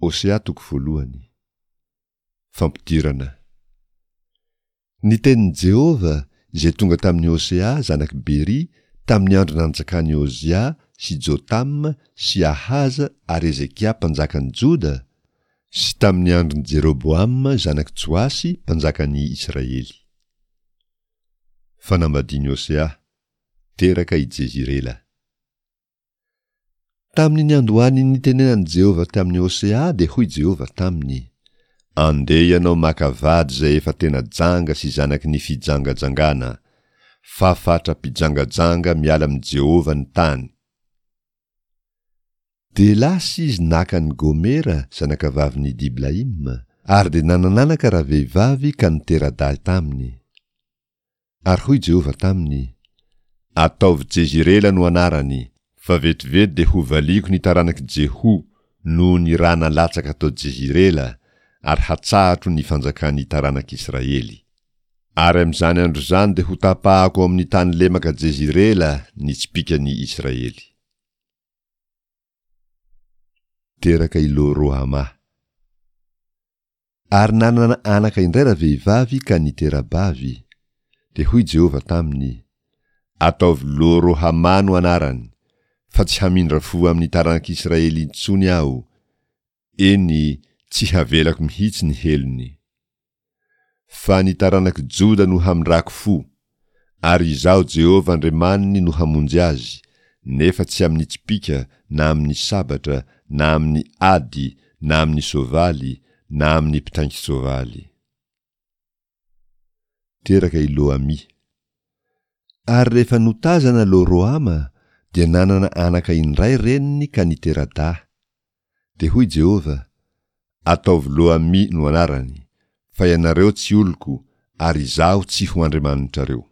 Hosea toko voalohany. Fampidirana. Ny tenin'i Jehovah izay tonga tamin'i Hosea zanak'i Beri tamin'ny andro nanjakan'i Ozia sy Jotama sy Ahaza ary Hezekia mpanjakan'i Joda, sy tamin'ny andron'i Jeroboama zanak'i Joasy mpanjakan'i Israely. Fanambadian'i Hosea. Teraka i Jezirela. Tamin'ny niandohan'ny nitenenan'i Jehovah tamin'i Hosea dia hoy Jehovah taminy, Andeha ianao maka vady izay efa tena janga sy zanaky ny fijangajangana, fa fatra-pijangajanga miala amin'i Jehovah ny tany. Dia lasa izy naka an'i Gomera zanakavavin'i Diblaima, ary dia nanan'anaka ravehivavy ka nitera-dahy taminy. Ary hoy Jehovah taminy, Ataovy Jezirela no anarany, fa vetivety dia hovaliako ny taranak'i Jeho noho ny ra nalatsaka tao Jezirela, ary hatsahatro ny fanjakan'ny taranak'Israely. Ary amin'izany andro izany dia hotapahako ao amin'ny tany lemaka Jezirela ny tsipìkan'ny Israely. Teraka i Lo-Rohamà. Ary nanana anaka indray ravehivavy ka nitera-bavy. Dia hoy Jehovah taminy, Ataovy Lo-Rohamà no anarany, fa tsy hamindra fo amin'ny taranak'Israely intsony Aho, eny, tsy havelako mihitsy ny helony. Fa ny taranak'i Joda no hamindrako fo, ary Izaho Jehovah Andriamaniny no hamonjy azy, nefa tsy amin'ny tsipìka na amin'ny sabatra na amin'ny ady na amin'ny soavaly na amin'ny mpitaingin-tsoavaly. Teraka i Lo-Amì. Ary rehefa notazana Lo-Rohama, dia nanana anaka indray reniny ka nitera-dahy. Dia hoy Jehovah, Ataovy Lo-Amì no anarany, fa ianareo tsy oloko, ary Izaho tsy ho Andriamanitrareo.